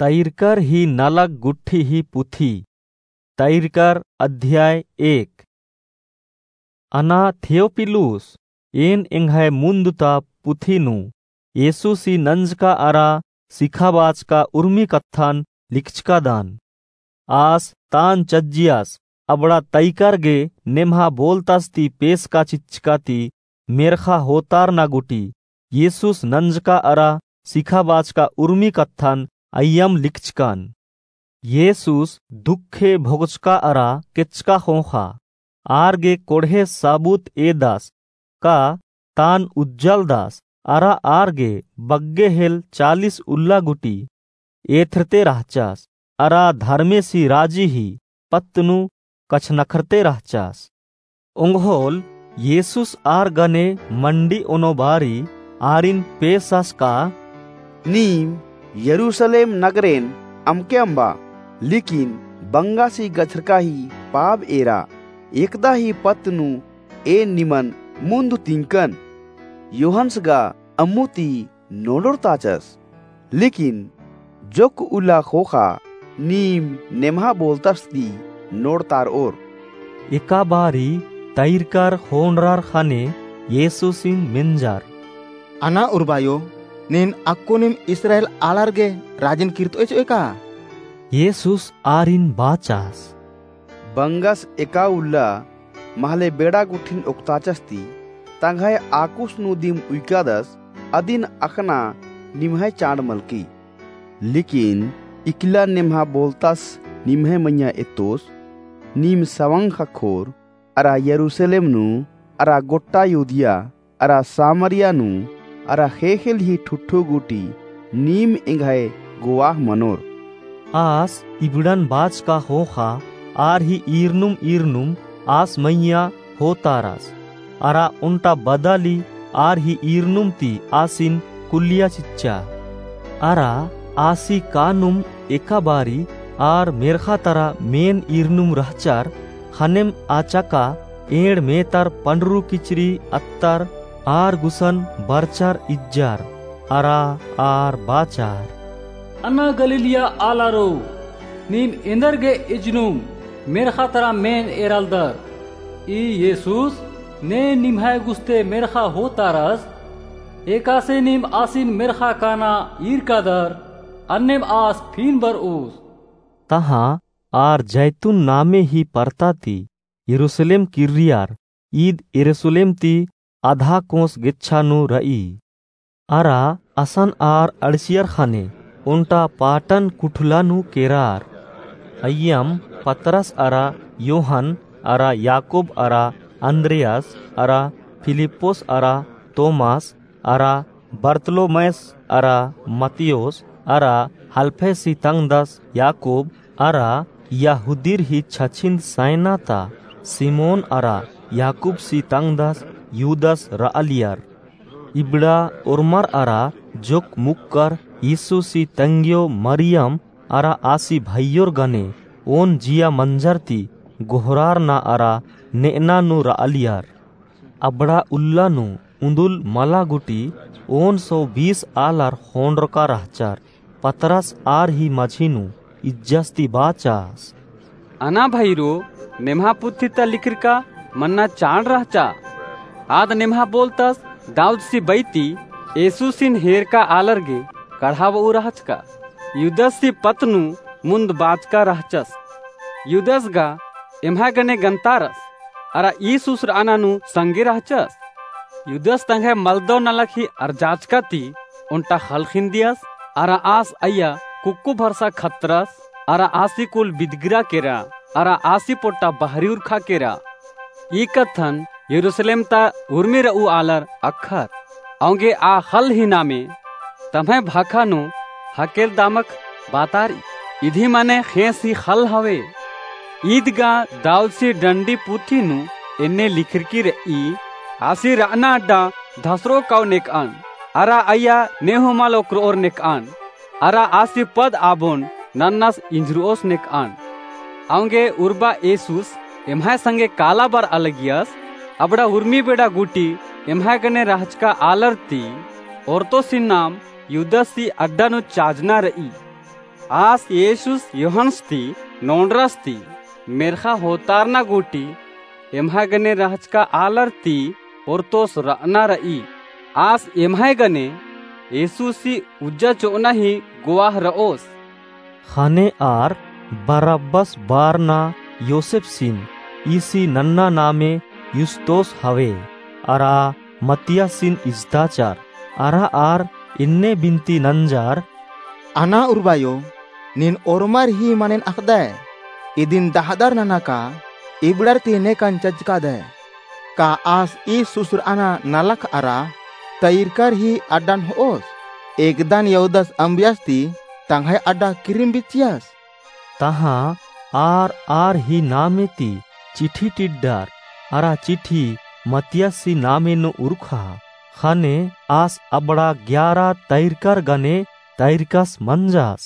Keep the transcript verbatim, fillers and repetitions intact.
तैरकर ही नलख गुट्ठी ही पुथी। तैरकर अध्याय एक। अना थियोपिलुस, एन एंग्है मुन्द ता पुथी नू येसुसी नंजका अरा सिखाबाचका उर्मी कत्थन लिखचकादन। आस तान चज्जियस अबड़ा तैकर गे नेम्हा बोलतस ती पेसका चिच्चका ती मेर्खा होतारना गुटी येसुस नंजका अरा सिखाबाचका उर्मी कत्थन अइय्यम लिखचकन। येसुस दुखे भोगचका अरा केचका ख़ोख़ा, आर गे कोड़हे साबुत एदस का तान उज्जालदस अरा आर गे बग्गे हेल चालीस उल्ला गुटी एथरते रहचस अरा धर्मेसी राजी ही पत्त नू कछनखरते रहचस। ओंगोल येसुस आर गने मंडी ओनो बारी आरिन पेसस का, नीम यरूसलेम नगरेन अमके अम्बा, लेकिन बंगासी गछरका ही पाब एरा एकदा ही पत्त नू एन निमन मुन्द तिंकन। योहन्स गा अम्मु ती नोड़ोर ताचस, लेकिन जोक उल्ला ख़ोख़ा नीम नेम्हा बोलतस ती नोड़तारओर। एका बारी तैरकर ख़ोंड़रर ख़ने येसुसिन मेंजर, अना उर्बायो, नीन अक्कुनिम इस्राएल आलर गे राजिन किर्तओय चिओय का? येसुस आरिन बाचस, बंगस एका उल्ला महले बेड़ा गुट्ठिन ओक्ताचस ती, तंग्है आकुस नू दिम उइकादस, अदिन अख़ना निम्है चाड़ मलकी। लेकिन इकला नेम्हा बोलतस निम्है मइय्याँ एत्तोस, नीम सवंग ख़क्खोर, अरा यरूसलेम नू, अरा गोट्टा यहूदिया, अरा सामरिया नू, अरा ख़ेख़ेल ही ठुठो गुटी, नीम एंग्है गोवाख़ मनोर। आस इबड़न बाचका ख़ोख़ा, आर ही ईरनुम ईरनुम आस मइय्याँ होतारस, अरा ओन्टा बदाली आर ही ईरनुम ती आसिन कुल्लिया चिच्चा। अरा आसी कानुम एका बारी आर मेर्ख़ा तरा मेन ईरनुम रहचर, ख़नेम आचाका एंड़ मेतर पंडरू किचरी अत्तर आर गुसन बरचर इज्जर, अरा आर बाचर, अना गलीलिया आलारो, नीम एन्देर गे इजनुम मेर्ख़ा तरा मेन एरालदर? ई येसुस ने निम्है गुस्ते मेर्ख़ा होतारस, एकासे नीम आसिन मेर्ख़ा काना ईरकादर, अन्नेम आस फिन बरओस। तहाँ आर जैतून नामे ही परता ती यरूसलेम किर्रियर, ईद यरूसलेम ती अधा कोस गेच्छा नू रई। अरा असन आर अंड़सियर ख़ने ओन्टा पाटन कुठला नू केरर। अइय्यम पतरस अरा योहन अरा याकूब अरा अन्द्रियास अरा फिलिप्पुस अरा तोमास अरा बरतलोमैस अरा मत्तियोस अरा हलफैसी तंग्दस याकूब अरा यहूदीर ही छछिन्द सैना ता सिमोन अरा याकूबसी तंग्दस युदस रआलियर। इबड़ा ओर्मर अरा जोक मुक्कर यीशुसी तंग्यो मरियम अरा आसी भइयोर गने ओन जिया मंजर ती गोहरारना अरा नेअना नू रआलियर। अबड़ा उल्ला नू उन्दुल मला गुटी ओन सौ बीस आलर ख़ोंड़रका रहचर। पतरस आर ही मझी नू इज्जस ती बाचस, अना भइरो, नेम्हा पुथी ता लिखरका मन्ना चाड़ रहचा। आद नेम्हा बोलतस दाऊदसी बैती येसुसिन हेरका आलर गे कड़हाबऊ रहचका। युदससी पत्त नू मुन्द बाचका रहचस। युदस गा एम्है गने गन्तारस, अरा यीशुस रअना नू संगे रहचस। युदस तंग्है मलदव नलख ही अरजाचका ती ओन्टा ख़ल्ल ख़िन्दियस, अरा आस अइय्या कुक्कु भरसा खतरस, अरा आसी कुल बिदगिरा केरा, अरा आसी पोट्टा बहरी उरखा केरा। ई कत्थन यरूसलेम ता उर्मी रऊ आलर अख़र। औंगे आ ख़ल्ल ही नामे तम्है भाखा नू हकेलदामक बातारी, इदी मने ख़ेंस ही ख़ल्ल हवे। ईद गा दाऊदसी डंडी पुथी नू एन्ने लिखरकी रई, आसी रअना अड्डा धसरो काओ नेकअन, अरा अइय्या नेहूँ मल ओक्करओर नेकअन, अरा आसी पद आबोन नन्नस इंझरओस नेकअन। औंगे उर्बा येसुस एम्है संगे काला बरआ लगियस, अबड़ा उर्मी बेड़ा गुटी एम्है गने रहचका आलर ती ओर्तोसिन नाम युदससी अड्डा नू चाजना रई। आस येशुस योहन्स ती नोंड़रस ती मेर्ख़ा होतारना गूटी एम्है गने रहचका आलर ती ओर्तोस र'अना र'ई। आस एम्है गने येशुसी उज्जा चो'अना ही गोवाह र'ओस। ख़ने आर बरब्बस बारना योसेफसिन ईसी नन्ना नामे युस्तोस हवे। अरा मत्तियासिन इजताचर। अरा आर इन्ने बिन्ती नंजर, अना उर्बायो, नीन ओर्मर ही मनेन अख़दय, इदिन दहदर नना का इबड़र ती नेकन चज्जकादय। का आस ईस सुसर'अना नलख अरा तइरकर ही अड्डन हो'ओस? एकदन यहूदस अम्बियस ती तंग्है अड्डा किरिम बिच्चियस। तहाँ आर आर ही नामे ती चिठी टिड्डर, अरा चिठी मत्तियासी नामे नू उरखा। ख़ने आस अबड़ा ग्यारा तइरकर गने तइरकस मंजस।